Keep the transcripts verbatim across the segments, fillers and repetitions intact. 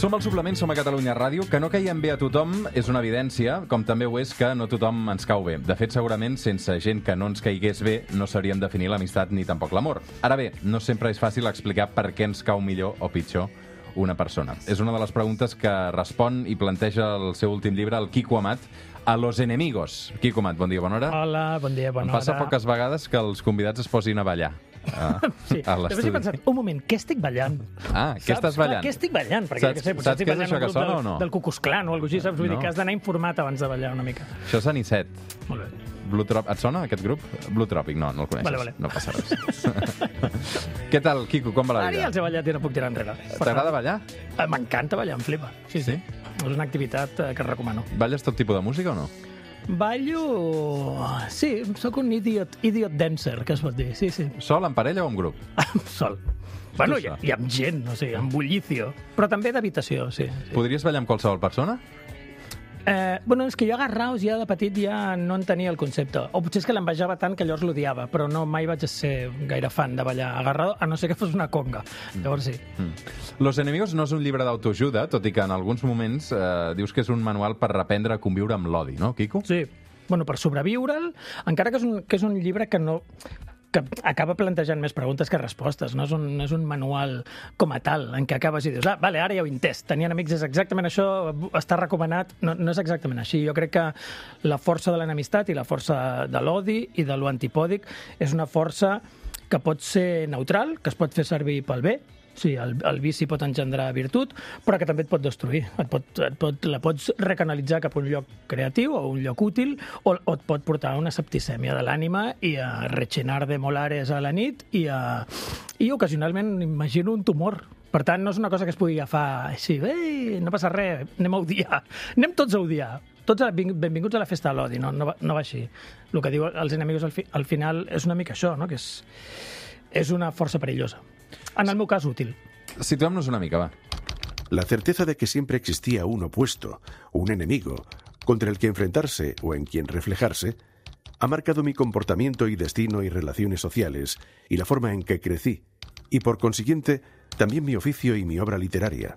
Som al Suplement, som a Catalunya Ràdio. Que no caiem bé a tothom és una evidència, com també ho és que no tothom ens cau bé. De fet, segurament, sense gent que no ens caigués bé, no sabríem definir l'amistat ni tampoc l'amor. Ara bé, no sempre és fàcil explicar per què ens cau millor o pitjor una persona. És una de les preguntes que respon i planteja el seu últim llibre, el Quico Amat, A los enemigos. Quico Amat, bon dia, bona hora. Hola, bon dia, bona hora. Em passa poques vegades que els convidats es posin a ballar. Ah, sí, després he pensat, un moment, què estic ballant? Ah, què estàs ballant? Clar, què estic ballant? Perquè, saps que sé, saps què és això que sona del, o no? Del Cucus Clan o alguna cosa així, saps? Vull no. dir que has d'anar informat abans de ballar una mica. Això és Anicet. Molt bé. Blue Trop... Et sona, aquest grup? Blue Tropic, no, no el coneixes. Vale, vale. No passa res. Què tal, Quico, com va la Ara vida? ja els he ballat i no puc tirar enrere. T'agrada ballar? Eh, M'encanta ballar, em flipa. Sí, sí. Sí? És una activitat eh, que recomano. Balles tot tipus de música o no? Ballo... Sí, sóc un idiot, idiot dancer, que es pot dir. Sí, sí. Sol, en parella o en grup? Sol. Bueno, i, sol. i amb gent, no sé, amb bullicio. Però també d'habitació, sí. sí. Podries ballar amb qualsevol persona? Eh, bueno, és que jo agarraos ja de petit ja no en tenia el concepte. O potser és que l'envejava tant que llavors l'odiava, però no, mai vaig ser gaire fan de ballar agarrado, a no ser que fos una conga. Llavors sí. Mm. Los enemigos no és un llibre d'autoajuda, tot i que en alguns moments eh, dius que és un manual per reprendre a conviure amb l'odi, no, Quico? Sí. Bueno, per sobreviure'l, encara que és un, que és un llibre que no... que acaba plantejant més preguntes que respostes, no és un, és un manual com a tal, en què acabes i dius, ah, vale, ara ja ho he entès, tenien amics, és exactament això, està recomanat, no, no és exactament així. Jo crec que la força de l'enemistat i la força de l'odi i de l'antipòdic és una força que pot ser neutral, que es pot fer servir pel bé. Sí, el, el vici pot engendrar virtut, però que també et pot destruir. Et pot, et pot, la pots recanalitzar cap a un lloc creatiu o un lloc útil, o, o et pot portar a una septicèmia de l'ànima i a rechenar de molares a la nit i, a, i ocasionalment imagino un tumor. Per tant, no és una cosa que es pugui agafar així, ei, no passa res, anem a odiar. Anem tots a odiar. Tots benvinguts a la festa de l'odi, no, no, va, no va així. El que diu els enemigos al, fi, al final és una mica això, no? Que és, és una força perillosa. En el meu cas, útil. Situem-nos una mica, va. La certeza de que siempre existía un opuesto, un enemigo, contra el que enfrentarse o en quien reflejarse, ha marcado mi comportamiento y destino y relaciones sociales y la forma en que crecí, y por consiguiente, también mi oficio y mi obra literaria.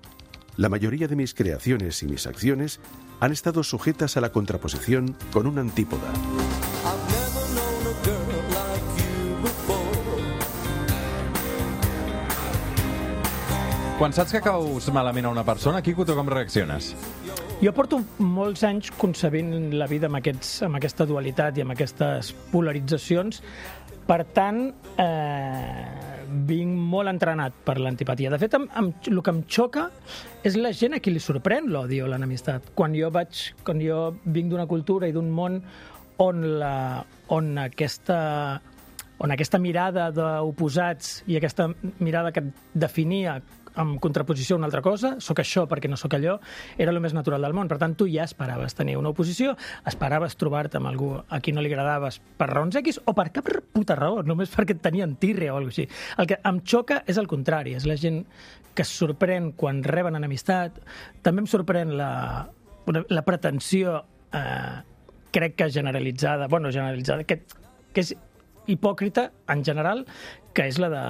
La mayoría de mis creaciones y mis acciones han estado sujetas a la contraposición con una antípoda. Quan saps que caus malament a una persona, Quico, tu com reacciones? Jo porto molts anys concebint la vida amb, aquests, amb aquesta dualitat i amb aquestes polaritzacions. Per tant, eh, vinc molt entrenat per l'antipatia. De fet, amb, amb, el que em xoca és la gent a qui li sorprèn l'odi o l'enemistat. Quan jo vaig, quan jo vinc d'una cultura i d'un món on, la, on aquesta... on aquesta mirada d'oposats i aquesta mirada que definia en contraposició a una altra cosa, sóc això perquè no sóc allò, era el més natural del món. Per tant, tu ja esperaves tenir una oposició, esperaves trobar-te amb algú a qui no li agradaves per raons X o per cap puta raó, només perquè et tenien tirre o alguna cosa així. El que em xoca és el contrari, és la gent que es sorprèn quan reben enemistat. També em sorprèn la, la pretensió, eh, crec que generalitzada, bueno, generalitzada, que, que és hipòcrita, en general, que és la de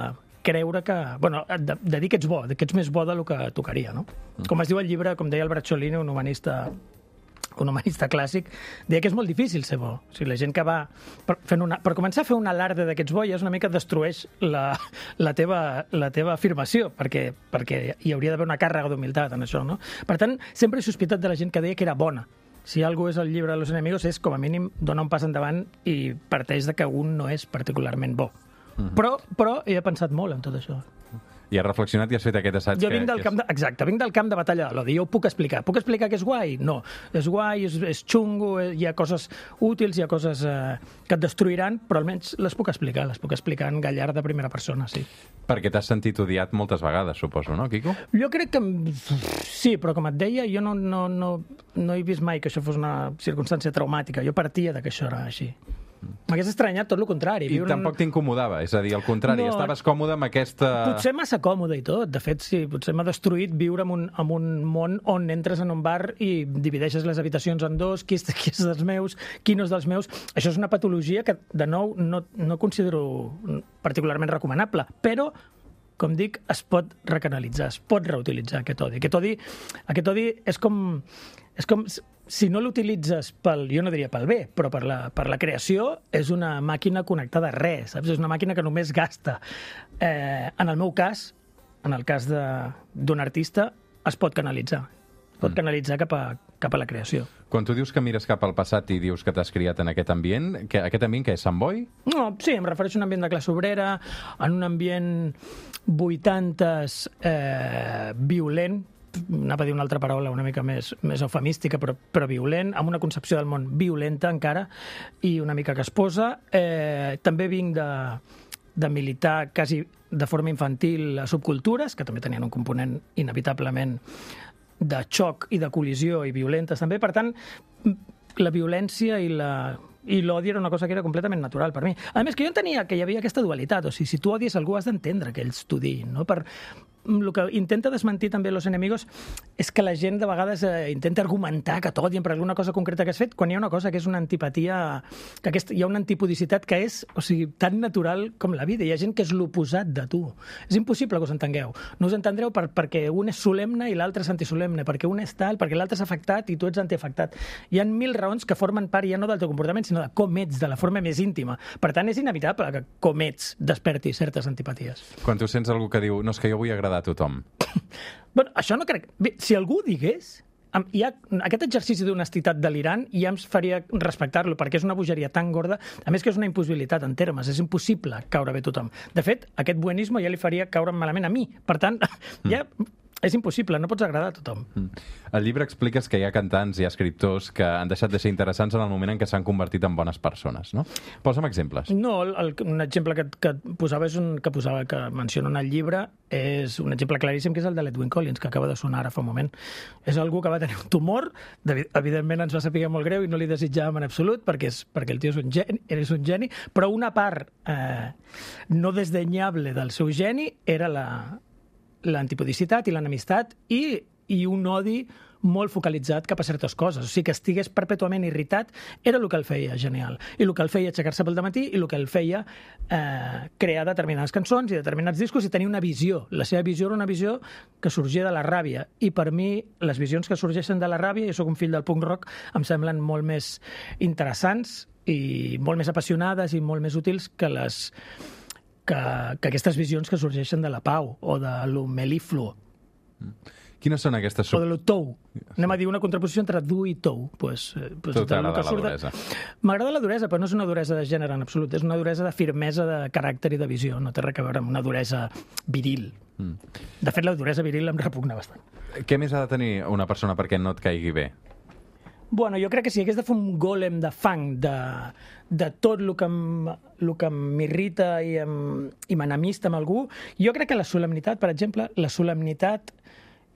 creure que... Bueno, de, de dir que ets bo, que ets més bo del que tocaria, no? Com es diu el llibre, com deia el Bracciolini, un humanista un humanista clàssic, deia que és molt difícil ser bo. O sigui, la gent que va... Per, fent una, per començar a fer un alarde de que ets bo ja és una mica destrueix la, la, teva, la teva afirmació, perquè, perquè hi hauria d'haver una càrrega d'humilitat en això, no? Per tant, sempre he sospitat de la gent que deia que era bona. Si algú és el llibre de los enemigos, és, com a mínim, dona un pas endavant i parteix de que un no és particularment bo. Uh-huh. Però, però he pensat molt en tot això. I has reflexionat i has fet aquest assaig. Jo vinc que, del que camp de, exacte, vinc del camp de batalla de l'odi. Jo ho puc explicar. Puc explicar que és guai? No. És guai, és, és xungo, hi ha coses útils, hi ha coses eh, que et destruiran, però almenys les puc explicar. Les puc explicar en gallar de primera persona, sí. Perquè t'has sentit odiat moltes vegades, suposo, no, Quico? Jo crec que... Sí, però com et deia, jo no, no, no, no he vist mai que això fos una circumstància traumàtica. Jo partia de que això era així. M'hagués estranyat tot el contrari. I Viure tampoc un... t'incomodava, és a dir, al contrari, No. estaves còmode amb aquesta... Potser massa còmode i tot. De fet, sí, potser m'ha destruït viure en un, en un món on entres en un bar i divideixes les habitacions en dos, qui és, qui és dels meus, qui no és dels meus. Això és una patologia que, de nou, no, no considero particularment recomanable, però com dic, es pot recanalitzar, es pot reutilitzar aquest odi. Aquest odi, aquest odi és com... És com si no l'utilitzes pel, jo no diria pel bé, però per la, per la creació, és una màquina connectada a res, saps? És una màquina que només gasta. Eh, en el meu cas, en el cas d'un artista, es pot canalitzar. Es pot mm. canalitzar cap a, cap a la creació. Quan tu dius que mires cap al passat i dius que t'has criat en aquest ambient, que, aquest ambient que és Sant Boi? No, sí, em refereixo a un ambient de classe obrera, en un ambient vuitantes eh, violent, anava a dir una altra paraula una mica més, més eufemística, però, però violent, amb una concepció del món violenta encara, i una mica casposa. Eh, també vinc de, de militar quasi de forma infantil a subcultures, que també tenien un component inevitablement de xoc i de col·lisió i violentes també. Per tant, la violència i la... i l'odi era una cosa que era completament natural per mi. A més, que jo entenia que hi havia aquesta dualitat, o sigui, si tu odies algú has d'entendre que ells t'odiïn, no? Per... El que intenta desmentir també Los Enemigos és que la gent de vegades eh, intenta argumentar que t'odien per alguna cosa concreta que has fet, quan hi ha una cosa que és una antipatia, que aquest, hi ha una antipodicitat que és, o sigui, tan natural com la vida. Hi ha gent que és l'oposat de tu. És impossible que us entengueu. No us entendreu per, perquè un és solemne i l'altre és antisolemne, perquè un és tal, perquè l'altre és afectat i tu ets antiafectat. Hi ha mil raons que formen part ja no del teu comportament, sinó de com ets, de la forma més íntima. Per tant, és inevitable que com ets desperti certes antipaties. Quan tu sents algú que diu, no, és que jo vull agradar a tothom. Bueno, això no crec... Bé, si algú ho digués, hi ha aquest exercici d'honestitat delirant ja em faria respectar-lo, perquè és una bogeria tan gorda, a més que és una impossibilitat en termes, és impossible caure bé a tothom. De fet, aquest buenisme ja li faria caure malament a mi. Per tant, ja... és impossible, no pots agradar a tothom. Al llibre expliques que hi ha cantants i escriptors que han deixat de ser interessants en el moment en què s'han convertit en bones persones, no? Posa'm exemples. No, el, el, un exemple que, que posava és un que posava que menciona en el llibre és un exemple claríssim, que és el de l'Edwin Collins, que acaba de sonar ara fa un moment. És algú que va tenir un tumor, evidentment ens va saber molt greu i no li desitjàvem en absolut, perquè, és, perquè el tio és un geni, és un geni, però una part eh, no desdenyable del seu geni era la l'antipodicitat i l'enemistat i, i un odi molt focalitzat cap a certes coses. O sigui, que estigués perpètuament irritat era el que el feia genial. I el que el feia aixecar-se pel dematí i el que el feia eh, crear determinades cançons i determinats discos i tenir una visió. La seva visió era una visió que sorgia de la ràbia. I per mi, les visions que sorgeixen de la ràbia, jo soc un fill del punk rock, em semblen molt més interessants i molt més apassionades i molt més útils que les... Que, que aquestes visions que sorgeixen de la pau o de lo melifluo. Quines són aquestes... O de lo tou. Anem a dir una contraposició entre dur i tou. Pues, pues, tu t'agrada la duresa. M'agrada la duresa, però no és una duresa de gènere en absolut. És una duresa de firmesa de caràcter i de visió. No té res a veure amb una duresa viril. Mm. De fet, la duresa viril em repugna bastant. Què més ha de tenir una persona perquè no et caigui bé? Bueno, jo crec que si hagués de fer un gòlem de fang de, de tot el que m'irrita i, i m'enemista amb algú, jo crec que la solemnitat, per exemple, la solemnitat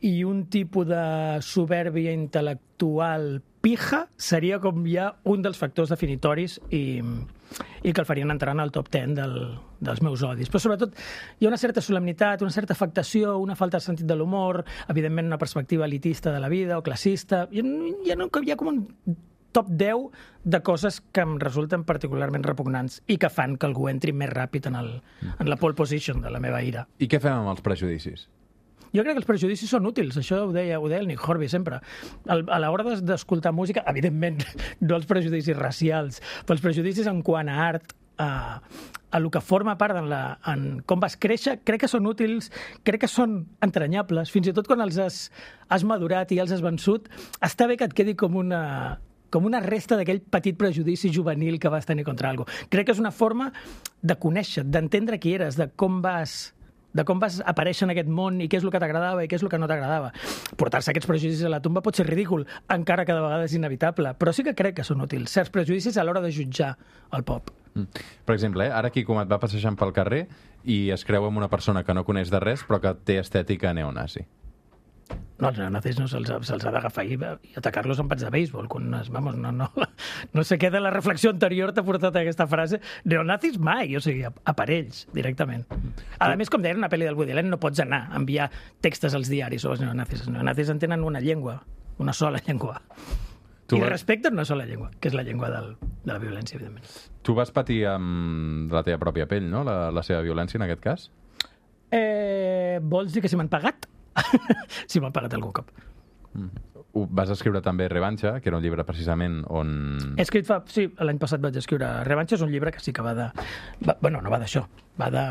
i un tipus de soberbia intel·lectual pija seria com ja un dels factors definitoris i, i que el farien entrar en el top ten del, dels meus odis. Però sobretot hi ha una certa solemnitat, una certa afectació, una falta de sentit de l'humor, evidentment una perspectiva elitista de la vida o classista. Hi ha, hi ha, hi ha com un top deu de coses que em resulten particularment repugnants i que fan que algú entri més ràpid en, el, en la pole position de la meva ira. I què fem amb els prejudicis? Jo crec que els prejudicis són útils, això ho deia, ho deia el Nick Horby sempre. El, a l'hora d'escoltar música, evidentment, no els prejudicis racials, però els prejudicis en quant a art, a, a el que forma part en, la, en com vas créixer, crec que són útils, crec que són entranyables, fins i tot quan els has, has madurat i els has vençut, està bé que et quedi com una... com una resta d'aquell petit prejudici juvenil que vas tenir contra algú. Crec que és una forma de conèixer, d'entendre qui eres, de com vas... de com vas aparèixer en aquest món i què és el que t'agradava i què és el que no t'agradava. Portar-se aquests prejudicis a la tomba pot ser ridícul, encara que de vegades és inevitable, però sí que crec que són útils, certs prejudicis a l'hora de jutjar el pop. Mm. Per exemple, eh, ara aquí com et va passejant pel carrer i es creu amb una persona que no coneix de res però que té estètica neonazi. No, els neonazis no se'ls se ha d'agafar i, i atacar-los amb pats de béisbol. Quan es, vamos, no, no, no sé què de la reflexió anterior t'ha portat a aquesta frase. Neonazis mai, o sigui, aparells, directament. A més, com deia una pel·li del Woody Allen, no pots anar a enviar textos als diaris sobre els neonazis. Els neonazis en tenen una llengua, una sola llengua. Tu I vas... respecten una sola llengua, que és la llengua del, de la violència, evidentment. Tu vas patir amb la teva pròpia pell, no?, la, la seva violència, en aquest cas? Eh, vols dir que si m'han pagat? Si m'han pagat algun cop. Mm. Vas escriure també Revanxa, que era un llibre precisament on... He escrit fa... Sí, l'any passat vaig escriure Revanxa, és un llibre que sí que va de... Va, bueno, no va d'això, va de...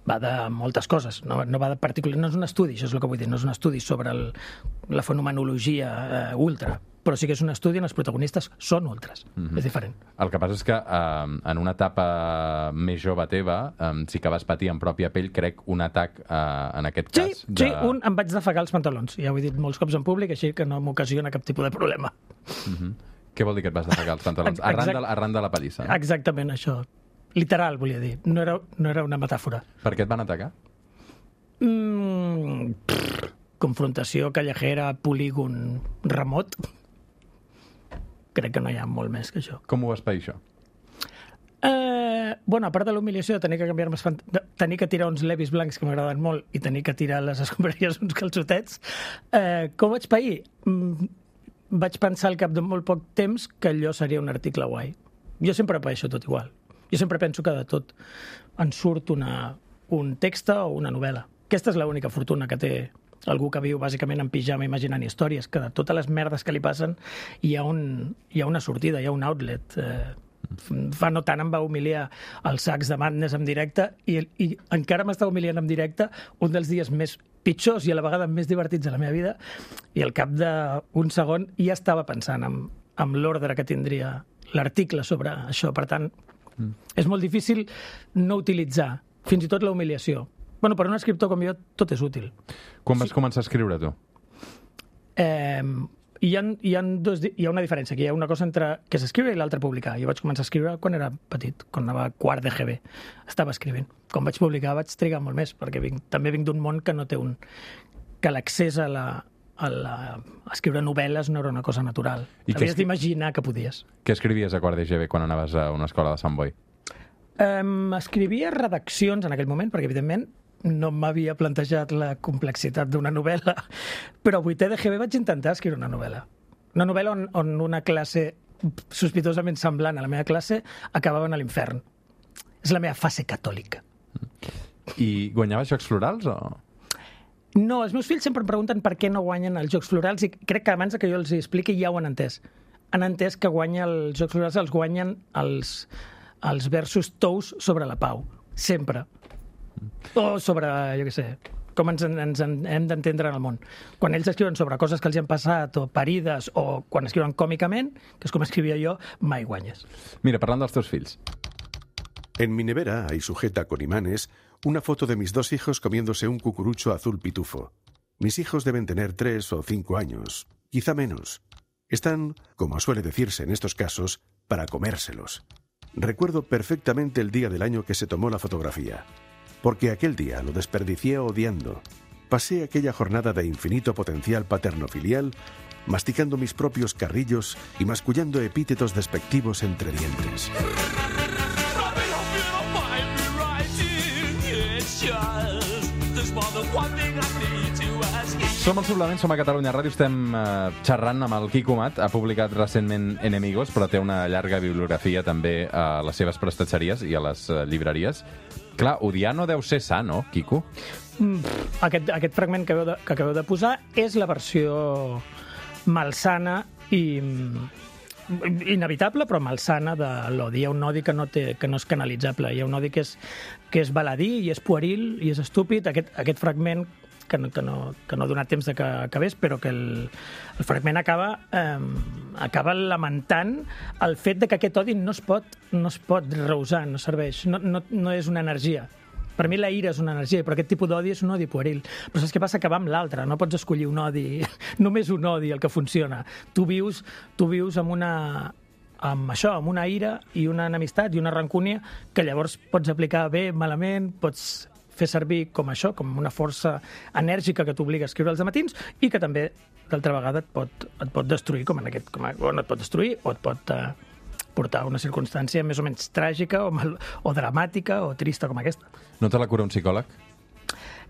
va de moltes coses, no, no va de particular... No és un estudi, això és el que vull dir, no és un estudi sobre el, la fenomenologia eh, ultra, però sí que és un estudi on els protagonistes són ultras. Mm-hmm. És diferent. El que passa és que eh, en una etapa més jove teva eh, sí que vas patir en pròpia pell, crec, un atac eh, en aquest sí, cas. De... Sí, un em vaig defegar els pantalons. Ja ho he dit molts cops en públic, així que no m'ocasiona cap tipus de problema. Mm-hmm. Què vol dir que et vas defegar els pantalons? Arran de, arran de la pallissa. No? Exactament, això. Literal, volia dir. No era, no era una metàfora. Per què et van atacar? Mm, pff, confrontació callejera, polígon remot. Crec que no hi ha molt més que això. Com ho vas pair, això? Eh, bueno, a part de l'humiliació de tenir que canviar-me els fant... de tenir que tirar uns levis blancs que m'agraden molt i tenir que tirar les escombraries uns calçotets, eh, com vaig pair? Mm, vaig pensar al cap de molt poc temps que allò seria un article guai. Jo sempre paeixo tot igual. Jo sempre penso que de tot en surt una, un text o una novel·la. Aquesta és l'única fortuna que té algú que viu bàsicament en pijama imaginant històries, que de totes les merdes que li passen hi ha, un, hi ha una sortida, hi ha un outlet. Eh, fa no tant em va humiliar els sacs de Madness en directe i, i encara m'està humiliant en directe un dels dies més pitjors i a la vegada més divertits de la meva vida, i al cap d'un segon ja estava pensant en, en l'ordre que tindria l'article sobre això. Per tant, mm. és molt difícil no utilitzar fins i tot la humiliació. Bueno, per un escriptor com jo, tot és útil. Quan vas sí. començar a escriure, tu? Eh, hi, ha, hi, ha dos, hi ha una diferència aquí. Hi ha una cosa entre que s'escriure i l'altra publicar. Jo vaig començar a escriure quan era petit, quan anava a quart de G B. Estava escrivint. Quan vaig publicar vaig trigar molt més, perquè vinc, també vinc d'un món que no té un... que l'accés a la... A, la, a escriure novel·les no era una cosa natural. Havies escri... d'imaginar que podies. Què escrivies a quart de G B quan anaves a una escola de Sant Boi? Um, escrivia redaccions en aquell moment, perquè evidentment no m'havia plantejat la complexitat d'una novel·la, però a vuitè de G B vaig intentar escriure una novel·la. Una novel·la on, on una classe sospitosament semblant a la meva classe acabaven a l'infern. És la meva fase catòlica. I guanyaves Jocs Florals o...? No, els meus fills sempre em pregunten per què no guanyen els Jocs Florals i crec que abans que jo els expliqui ja ho han entès. Han entès que guanya els Jocs Florals, els guanyen els, els versos tous sobre la pau. Sempre. O sobre, jo què sé, com ens, ens en, hem d'entendre en el món. Quan ells escriuen sobre coses que els han passat o parides, o quan escriuen còmicament, que és com escrivia jo, mai guanyes. Mira, parlant dels teus fills. En mi nevera hay sujeta con imanes una foto de mis dos hijos comiéndose un cucurucho azul pitufo. Mis hijos deben tener tres o cinco años, quizá menos. Están, como suele decirse en estos casos, para comérselos. Recuerdo perfectamente el día del año que se tomó la fotografía, porque aquel día lo desperdicié odiando. Pasé aquella jornada de infinito potencial paterno-filial, masticando mis propios carrillos y mascullando epítetos despectivos entre dientes. Som al Suplement, som a Catalunya Ràdio, estem eh, xerrant amb el Quico Mat. Ha publicat recentment Enemigos, però té una llarga bibliografia també a les seves prestatgeries i a les eh, llibreries. Clar, odiar no deu ser sa, no, Quico? Mm, aquest, aquest fragment que acabeu, de, que acabeu de posar és la versió malsana i inevitable, però malsana de l'odi. Hi ha un odi que no, té, que no és canalitzable. Hi ha un odi que és, que és baladí i és pueril i és estúpid. Aquest, aquest fragment que no, que, no, que no ha donat temps de que acabés, però que el, el fragment acaba, eh, acaba lamentant el fet de que aquest odi no es pot, no es pot reusar, no serveix, no, no, no és una energia. Per mi la ira és una energia, però aquest tipus d'odi és un odi pueril. Però saps què passa? Que va amb l'altre, no pots escollir un odi, només un odi el que funciona. Tu vius, tu vius amb una... amb això, amb una ira i una enemistat i una rancúnia que llavors pots aplicar bé, malament, pots fer servir com això, com una força enèrgica que t'obliga a escriure els matins i que també, d'altra vegada, et pot, et pot destruir, com en aquest... Com a, o no et pot destruir, o et pot eh, portar a una circumstància més o menys tràgica o, mal, o dramàtica o trista com aquesta. No te la cura un psicòleg?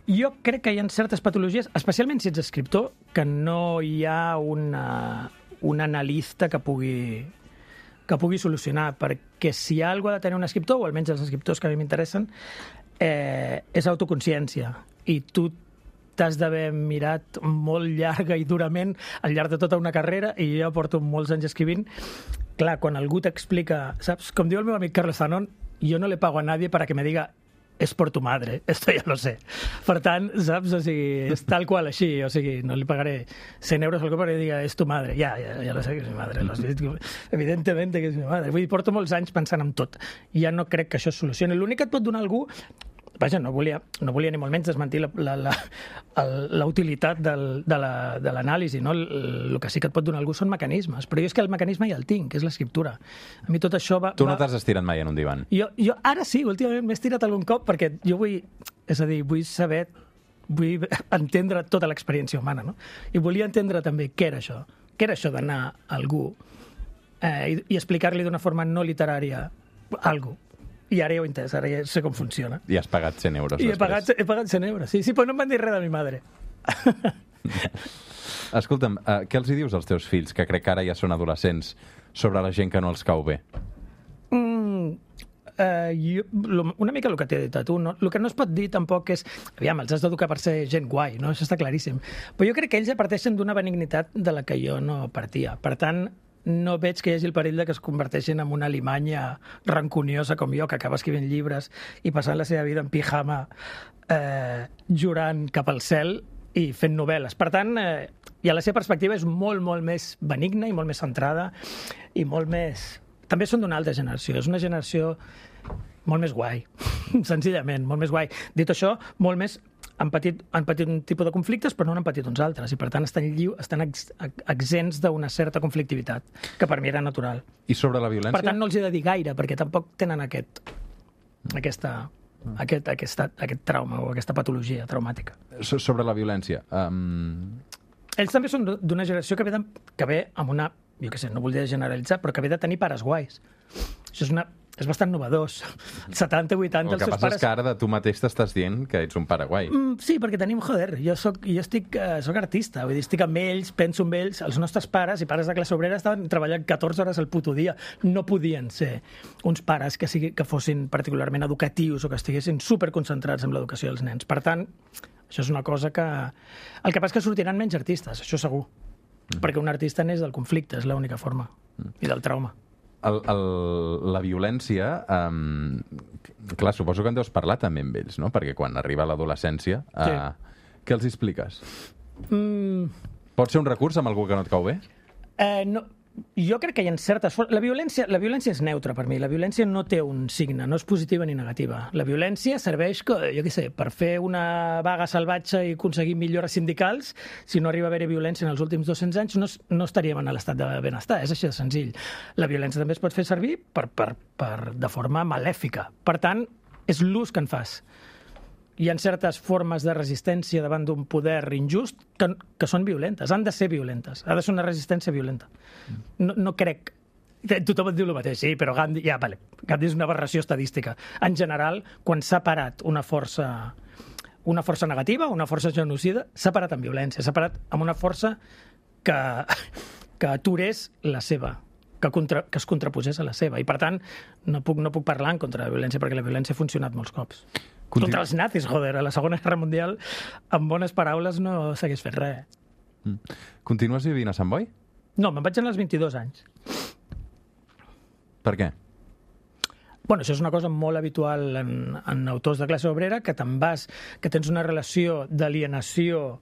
Jo crec que hi ha certes patologies, especialment si ets escriptor, que no hi ha una, un analista que pugui... que pugui solucionar, perquè si hi ha alguna cosa de tenir un escriptor, o almenys els escriptors que a mi m'interessen, eh, és autoconsciència. I tu t'has d'haver mirat molt llarga i durament al llarg de tota una carrera, i jo porto molts anys escrivint. Clar, quan algú t'explica, saps? Com diu el meu amic Carlos Zanon, jo no le pago a nadie para que me diga és por tu madre, esto ya lo sé. Per tant, saps? O sigui, és tal qual així, o sigui, no li pagaré cent euros al cop perquè digui és tu madre. Ja, ja, ja lo sé que és mi madre, lo has vist, evidentment que és mi madre. Vull dir, porto molts anys pensant en tot. Ja no crec que això es solucioni. L'únic que et pot donar algú... Vaja, no volia, no volia ni molt menys desmentir la, la, la, la utilitat del, de l'anàlisi, no? El, el que sí que et pot donar algú són mecanismes, però jo és que el mecanisme ja el tinc, que és l'escriptura. A mi tot això va... Tu no va... t'has estirat mai en un divan? Jo, jo ara sí, últimament m'he estirat algun cop, perquè jo vull, és a dir, vull saber, vull entendre tota l'experiència humana, no? I volia entendre també què era això, què era això d'anar a algú eh, i, i explicar-li d'una forma no literària algú. I ara ja ho he entès, ara ja sé com funciona. I has pagat cent euros I després. he pagat, he pagat cent euros, sí, sí, però no em van dir res de mi madre. Escolta'm, uh, què els hi dius als teus fills, que crec que ara ja són adolescents, sobre la gent que no els cau bé? Mm, uh, jo, lo, una mica el que t'he dit a tu, no? El que no es pot dir tampoc és... Aviam, els has d'educar per ser gent guai, no? Això està claríssim. Però jo crec que ells ja parteixen d'una benignitat de la que jo no partia. Per tant, no veig que hi hagi el perill de que es converteixin en una alimanya rancuniosa com jo, que acaba escrivint llibres i passant la seva vida en pijama eh, jurant cap al cel i fent novel·les. Per tant, eh, i a la seva perspectiva és molt, molt més benigna i molt més centrada i molt més... També són d'una altra generació. És una generació molt més guai, senzillament, molt més guai. Dit això, molt més... Han patit, han patit un tipus de conflictes, però no n'han patit uns altres, i per tant estan, lliu, estan ex, exents d'una certa conflictivitat, que per mi era natural. I sobre la violència? Per tant, no els he de dir gaire, perquè tampoc tenen aquest, aquesta, aquest, aquesta, aquest trauma o aquesta patologia traumàtica. So, sobre la violència... Um... Ells també són d'una generació que ve, de, que ve amb una... Jo què sé, no volia generalitzar, però que ve de tenir pares guais. Això és una... És bastant novedós. setanta, vuitanta, els seus pares... El que passa és que ara de tu mateix t'estàs dient que ets un pare guai. Mm, sí, perquè tenim, joder, jo soc, jo estic, uh, soc artista, vull dir, estic amb ells, penso amb ells, els nostres pares i pares de classe obrera estaven treballant catorze hores al puto dia. No podien ser uns pares que, sigui, que fossin particularment educatius o que estiguessin superconcentrats en l'educació dels nens. Per tant, això és una cosa que... El que passa és que sortiran menys artistes, això segur. Mm. Perquè un artista neix del conflicte, és l'única forma, mm. i del trauma. El, el, la violència, um, clar, suposo que en deus parlar també amb ells, no? Perquè quan arriba l'adolescència, sí. uh, què els expliques? Mm. Pot ser un recurs amb algú que no et cau bé? Eh, no, jo crec que hi ha certes... La violència, la violència és neutra per mi. La violència no té un signe, no és positiva ni negativa. La violència serveix, que, jo què sé, per fer una vaga salvatge i aconseguir millores sindicals. Si no arriba a haver-hi violència en els últims dos-cents anys, no, no estaríem en l'estat de benestar. És així de senzill. La violència també es pot fer servir per, per, per, de forma malèfica. Per tant, és l'ús que en fas. Hi ha certes formes de resistència davant d'un poder injust que, que són violentes, han de ser violentes, ha de ser una resistència violenta. No, no crec... Tothom et diu el mateix, sí, però Gandhi... Ja, vale, Gandhi és una aberració estadística. En general, quan s'ha parat una força, una força negativa, una força genocida, s'ha parat amb violència, s'ha parat amb una força que, que aturés la seva, que, contra, que es contraposés a la seva. I, per tant, no puc, no puc parlar en contra de la violència, perquè la violència ha funcionat molts cops. Continu... Contra els nazis, joder, a la Segona Guerra Mundial, amb bones paraules no s'hagués fet res. Mm. Continues vivint a Sant Boi? No, me'n vaig anar als vint-i-dos anys. Per què? Bueno, això és una cosa molt habitual en, en autors de classe obrera, que te'n vas, que tens una relació d'alienació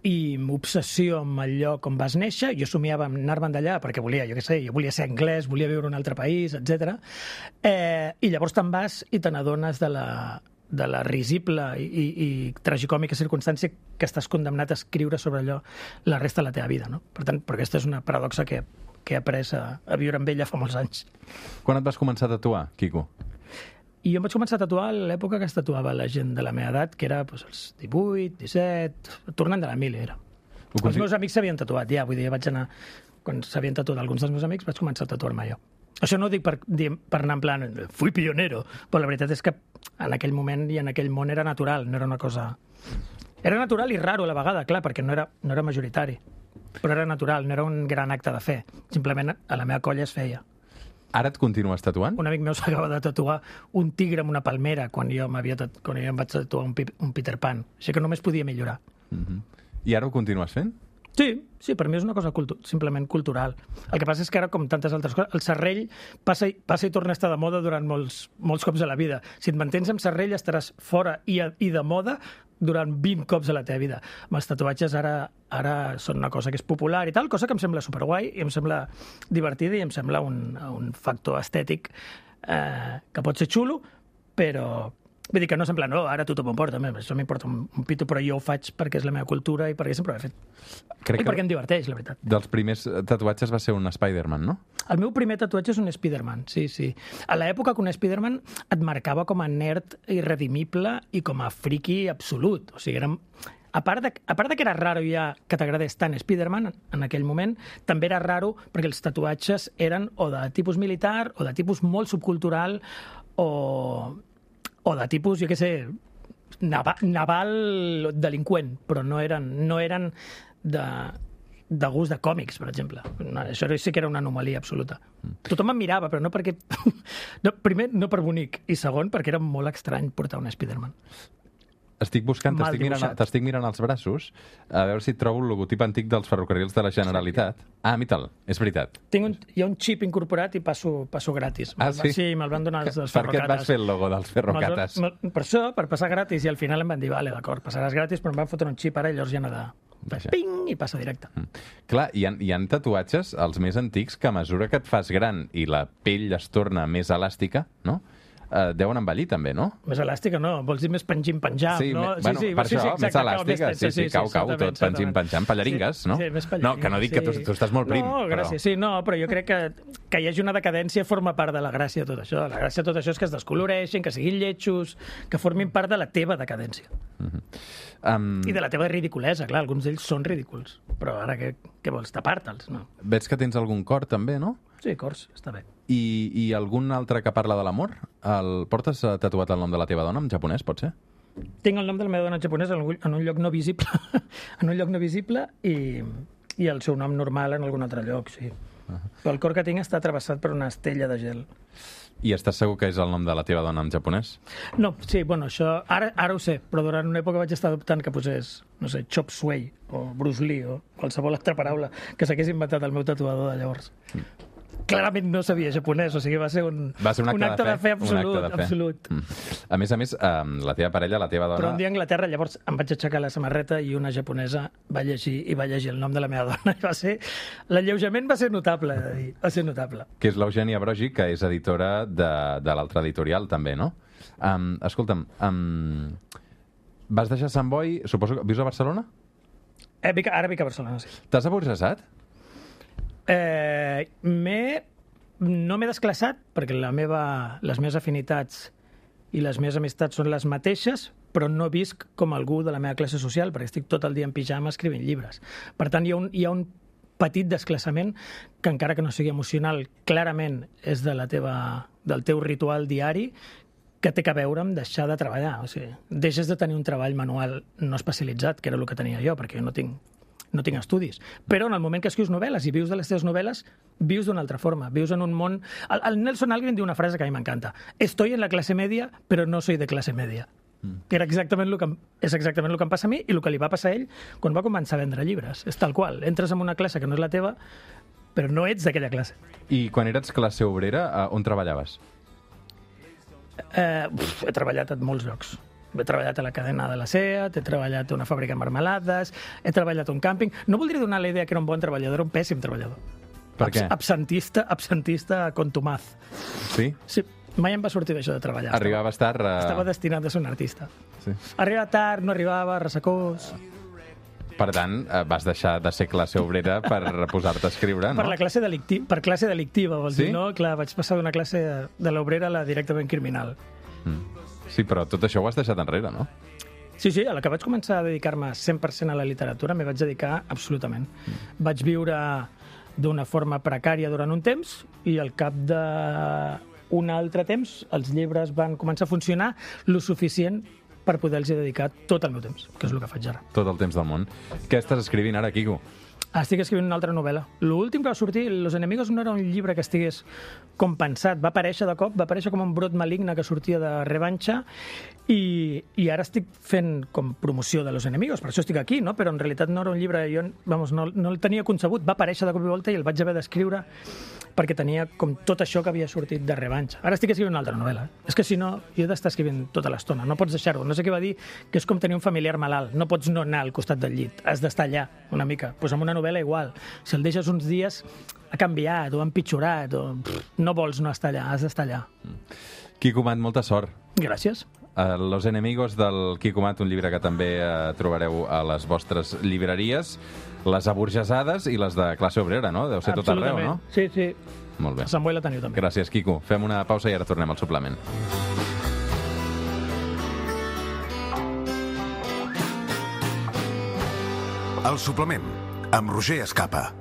i obsessió amb el lloc on vas néixer. Jo somiava en anar-me'n d'allà perquè volia, jo què sé, jo volia ser anglès, volia viure en un altre país, etcètera. Eh, I llavors te'n vas i te n'adones de la, de la risible i, i, i tragicòmica circumstància que estàs condemnat a escriure sobre allò la resta de la teva vida, no? Per tant, perquè aquesta és una paradoxa que, que he après a, a viure amb ella fa molts anys. Quan et vas començar a tatuar, Quico? I jo em vaig començar a tatuar a l'època que es tatuava la gent de la meva edat, que era doncs, els divuit, disset, tornant de la mili, era. Continu... Els meus amics s'havien tatuat, ja, vull dir, vaig anar... Quan s'havien tatuat alguns dels meus amics, vaig començar a tatuar-me jo. Això no ho dic per, per anar en plan, fui pionero, però la veritat és que en aquell moment i en aquell món era natural, no era una cosa... Era natural i raro a la vegada, clar, perquè no era, no era majoritari, però era natural, no era un gran acte de fe. Simplement a la meva colla es feia. Ara et continues tatuant? Un amic meu s'acaba de tatuar un tigre amb una palmera quan jo, tat... quan jo em vaig tatuar un, un Peter Pan. Així que només podia millorar. Mm-hmm. I ara ho continues fent? Sí, sí, per mi és una cosa cultu simplement cultural. El que passa és que ara, com tantes altres coses, el serrell passa i, passa i torna a estar de moda durant molts, molts cops a la vida. Si et mantens amb serrell estaràs fora i, a, i de moda durant vint cops a la teva vida. Amb els tatuatges ara, ara són una cosa que és popular i tal, cosa que em sembla superguai i em sembla divertida i em sembla un, un factor estètic eh, que pot ser xulo, però... Vull dir que no sembla, no, ara tothom em porta, això m'importa un, un pito, però jo ho faig perquè és la meva cultura i perquè sempre ho he fet. Crec I perquè em diverteix, la veritat. Dels primers tatuatges va ser un Spider-Man, no? El meu primer tatuatge és un Spider-Man, sí, sí. A l'època que un Spider-Man et marcava com a nerd irredimible i com a friki absolut. O sigui, era... A part, de, a part de que era raro ja que t'agradés tant Spider-Man en aquell moment, també era raro perquè els tatuatges eren o de tipus militar o de tipus molt subcultural o... o de tipus, jo què sé, naval, naval delinqüent, però no eren, no eren de, de gust de còmics, per exemple. No, això sí que era una anomalia absoluta. Mm. Tothom em mirava, però no perquè... No, primer, no per bonic, i segon, perquè era molt estrany portar un Spider-Man. Estic buscant, t'estic mirant, t'estic mirant els braços, a veure si trobo el logotip antic dels ferrocarrils de la Generalitat. Ah, mita'l, és veritat. Tinc un, hi ha un xip incorporat i passo, passo gratis. Ah, sí? Sí, me'l van donar els, els per ferrocates. Per què et vas fer el logo dels ferrocates? Per això, per passar gratis, i al final em van dir, vale, d'acord, passaràs gratis, però em van fotre un xip ara i llavors ja no de... Vaja. Ping! I passa directe. Mm. Clar, hi ha, hi ha tatuatges, els més antics, que a mesura que et fas gran i la pell es torna més elàstica, no?, Uh, deuen envellir també, no? Més elàstica no, vols dir més pengim-penjam, sí, no? Me, bueno, sí, sí, per sí, això, sí, més elàstica, sí, sí, cau, cau, tot pengim-penjam, pallaringues, no? Sí, més pallaringues. No, que no dic sí. que tu, tu estàs molt prim. No, gràcies, però... sí, no, però jo crec que que hi hagi una decadència forma part de la gràcia de tot això. La gràcia de tot això és que es descoloreixin, que siguin lletjos, que formin part de la teva decadència. Uh-huh. um... I de la teva ridiculesa, clar, alguns d'ells són ridículs, però ara què, què vols, tapar-te'ls, no? Veig que tens algun cor també, no? Sí, cors, està bé. I, i algun altre que parla de l'amor? El... Portes tatuat el nom de la teva dona en japonès, pot ser? Tinc el nom de la meva dona en japonès en un, en un lloc no visible, en un lloc no visible i, i el seu nom normal en algun altre lloc, sí. Uh -huh. Però el cor que tinc està travessat per una estella de gel. I estàs segur que és el nom de la teva dona en japonès? No, sí, bueno, això... Ara, ara ho sé, però durant una època vaig estar adoptant que posés, no sé, Chop Suey o Bruce Lee o qualsevol altra paraula que s'hagués inventat el meu tatuador de llavors. Mm. Clarament no sabia japonès, o sigui, va ser un, va ser un, acte, un acte de fe, de fe absolut. De fe. absolut. Mm. A més a més, um, la teva parella, la teva dona... Però un dia a Anglaterra, llavors em vaig aixecar la samarreta i una japonesa va llegir i va llegir el nom de la meva dona. I va ser... L'alleujament va ser notable, va ser notable. Que és l'Eugènia Brogi, que és editora de, de l'altre editorial, també, no? Um, escolta'm, um, vas deixar Sant Boi, suposo que... Vius a Barcelona? Eh, vic, ara vic a Barcelona, sí. T'has aburgesat? Eh, m'he... No m'he desclassat, perquè la meva, les meves afinitats i les meves amistats són les mateixes, però no visc com algú de la meva classe social, perquè estic tot el dia en pijama escrivint llibres. Per tant, hi ha un, hi ha un petit desclassament que, encara que no sigui emocional, clarament és de la teva, del teu ritual diari, que té a veure amb deixar de treballar. O sigui, deixes de tenir un treball manual no especialitzat, que era el que tenia jo, perquè jo no tinc no tinc estudis. Però en el moment que escrius novel·les i vius de les teves novel·les, vius d'una altra forma. Vius en un món... El, el Nelson Algren diu una frase que a mi m'encanta. Estoy en la clase media, però no soy de clase media. Mm. Que era exactament el que, és exactament el que em passa a mi i el que li va passar a ell quan va començar a vendre llibres. És tal qual. Entres en una classe que no és la teva, però no ets d'aquella classe. I quan eres classe obrera, on treballaves? Eh, uf, he treballat en molts llocs. He treballat a la cadena de la SEAT, he treballat a una fàbrica de marmelades, he treballat a un càmping... No voldria donar la idea que era un bon treballador, era un pèssim treballador. Per què? Absentista, absentista contumaz. Sí? Sí, mai em va sortir d'això de treballar. Arribaves tard a... Estava destinat a ser un artista. Sí. Arribava tard, no arribava, ressecós... Per tant, vas deixar de ser classe obrera per posar-te a escriure, no? Per la classe delicti... per classe delictiva, vols sí? dir, no? Clar, vaig passar d'una classe de l'obrera a la directament criminal. Mm. Sí, però tot això ho has deixat enrere, no? Sí, sí, a la que vaig començar a dedicar-me cent per cent a la literatura m'hi vaig dedicar absolutament. Mm. Vaig viure d'una forma precària durant un temps i al cap d'un altre temps els llibres van començar a funcionar lo suficient per poder-los dedicar tot el meu temps, que és el que faig ara. Tot el temps del món. Què estàs escrivint ara, Quico? estic escrivint una altra novel·la. L'últim que va sortir, Los enemigos, no era un llibre que estigués com pensat. Va aparèixer de cop, va aparèixer com un brot maligne que sortia de Revanxa i, i ara estic fent com promoció de Los enemigos. Per això estic aquí, no? Però en realitat no era un llibre... Jo vamos, no, no el tenia concebut. Va aparèixer de cop i volta i el vaig haver d'escriure perquè tenia com tot això que havia sortit de Revanxa. Ara estic escrivint una altra novel·la. És que si no, jo he d'estar escrivint tota l'estona. No pots deixar-ho. No sé què va dir, que és com tenir un familiar malalt. No pots no anar al costat del llit. Has d'estar allà una mica. Doncs pues amb una novel·la igual. Si el deixes uns dies, ha canviat o ha empitjorat o pff, no vols no estar allà, has d'estar allà. Quico Mat, molta sort. Gràcies. Uh, Los enemigos del Quico Mat, un llibre que també uh, trobareu a les vostres llibreries, les aburgesades i les de classe obrera, no? Deu ser tot arreu, no? Sí, sí. Molt bé. A Sant Boi la teniu també. Gràcies, Quico. Fem una pausa i ara tornem al suplement. El suplement, amb Roger Escapa.